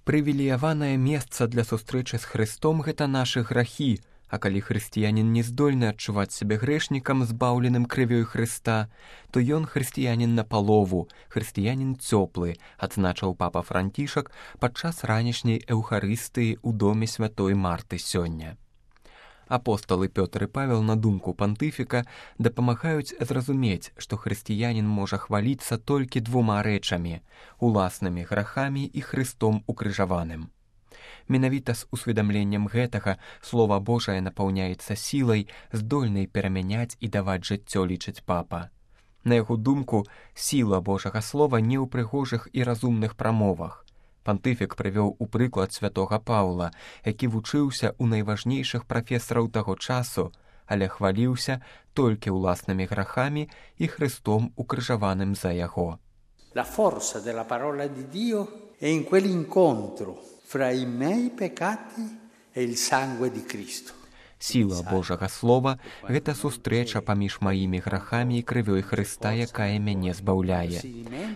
Прывілеяванае месца для сустрэчы з Хрыстом – гэта нашы грахі, а калі хрысціянін не здольны адчуваць сябе грэшнікам, збаўленым крывёй Хрыста, то ён хрысціянін напалову, хрысціянін цёплы, адзначыў папа Францішак падчас ранішняй эўхарыстыі ў доме святой Марты сёння. Апосталы Пётр і Павел, на думку пантыфіка, дапамагаюць зразумець, што хрысціянін можа хваліцца толькі двума рэчамі – уласнымі грахамі і Хрыстом укрыжаваным. Менавіта з усведамленнем гэтага Слова Божае напаўняецца сілай, здольнай перамяняць і даваць жыццё, лічыць папа. На яго думку, сіла Божага Слова не ў прыгожых і разумных прамовах. Пантыфік прывёў у прыклад святога Паўла, які вучыўся ў найважнейшых прафесараў таго часу, але хваліўся толькі ўласнымі грахамі і Хрыстом укрыжаваным за яго. La forza della parola di Dio è in quell'incontro fra i miei peccati e il sangue di Cristo. Сіла Божага Слова – гэта сустрэча паміж маімі грахамі і крывёй Хрыста, якая мяне збаўляе.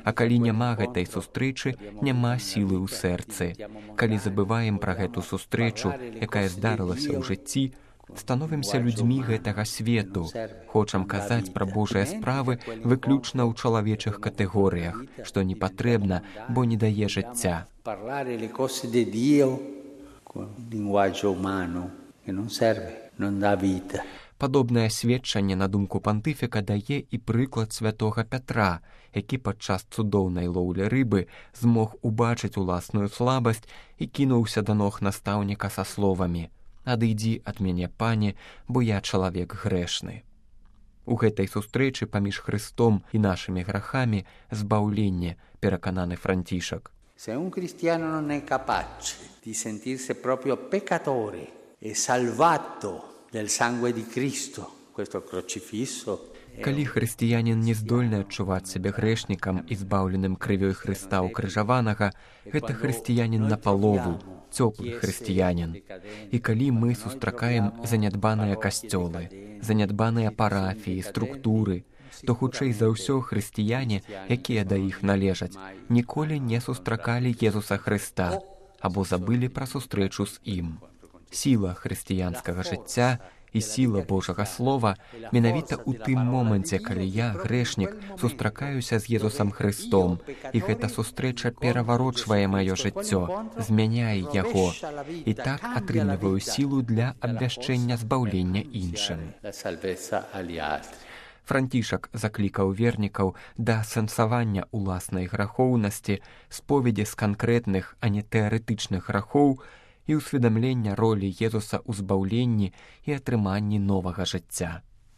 А калі няма гэтай сустрэчы, няма сілы ў сэрцы. Калі забываем пра гэту сустрэчу, якая здарылася ў жыцці, становімся людзьмі гэтага свету. Хочам казаць пра Божыя справы выключна ў чалавечых катэгорыях, што не патрэбна, бо не дае жыцця. Падобнае сведчанне, на думку пантыфіка, дае і прыклад святога Пятра, які падчас цудоўнай лоўлі рыбы змог убачыць уласную слабасць і кінуўся да ног настаўніка са словамі: «Адыдзі ад мяне, пане, бо я чалавек грэшны». У гэтай сустрэчы паміж Хрыстом і нашымі грахамі збаўленне, перакананы Францішак. Se un cristiano non è capace di sentirsi proprio peccatore e salvato del sangue di Cristo, questo crocifisso. Калі хрысціянін не здольны адчуваць сябе грэшнікам і збаўленым крывёй Хрыста укрыжаванага, гэта хрысціянін напалову, цёплы хрысціянін. І калі мы сустракаем занядбаныя касцёлы, занядбаныя парафіі, структуры, то хутчэй за ўсё хрысціяне, якія да іх належаць, ніколі не сустракалі Езуса Хрыста або забылі пра сустрэчу з ім. Сіла хрысціянскага жыцця і сіла Божага Слова менавіта ў тым моманце, калі я, грэшнік, сустракаюся з Езусам Хрыстом, і гэта сустрэча пераварочвае маё жыццё, змяняе яго, і так атрымліваю сілу для абвяшчэння збаўлення іншым. Францішак заклікаў вернікаў да асэнсавання ўласнай грахоўнасці, споведзі з канкрэтных, а не тэарэтычных грахоў і ўсведамлення ролі Езуса ў збаўленні і атрыманні новага жыцця.